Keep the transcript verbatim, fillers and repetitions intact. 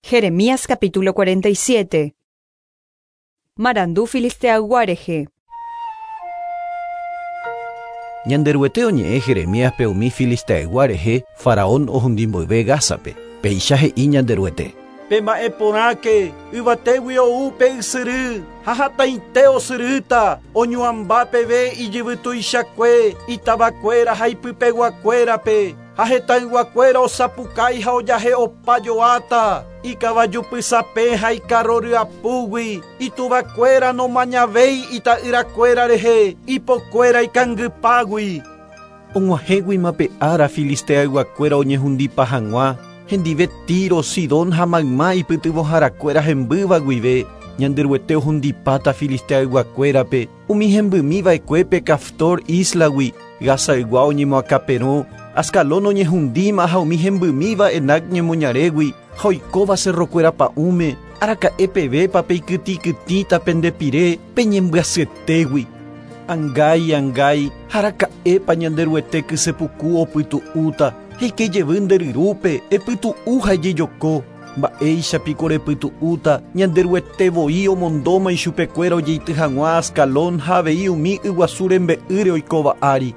Jeremías capítulo cuarenta y siete. Marandu filisteaygua rehe. Ñanderuete oñe'ẽ Jeremíaspe umi filisteaygua rehe faraón ohundi mboyve Gázape. Péicha he'i Ñanderuete. Pema'ẽ porãke yvatégui ou pe ysyry ha hatãite osyrýta oñuãmba peve ijyvy tuichakue itavakuéra ha ipypeguakuérape ha hetãyguakuéra osapukái ha ojahe'opajoáta ikavajupysape ha ikarro ryapúgui ituvakuéra nomañavéi ita'yrakuéra rehe ipokuéra ikangypágui. Og̃uahẽguima pe ára filisteayguakuéra oñehundipa hag̃ua hendive Tiro, Sidón ha mayma ipytyvõharakuéra hembýva guive. Ñanderuete ohundipáta filisteayguakuérape umi hembymiva'ekuépe Caftor islagui. Gazaygua oñemoakãperõ, Ascalón oñehundíma ha umi hembymíva Enac ñemoñarégui ha oikóva cerrokuéra pa'ũme. Araka'e pevépa peikytĩkytĩta pende pire peñembyasyetegui. Angái, angái, araka'épa Ñanderuete kysepuku opytu'úta. Eike jevy nde ryrúpe, epytu'u ha ejejoko. Mba'éichapiko repytu'úta Ñanderuete voi omondóma ichupekuéra ojeity hag̃ua Ascalón ha avei umi yguasu rembe'ýre oikóva ári.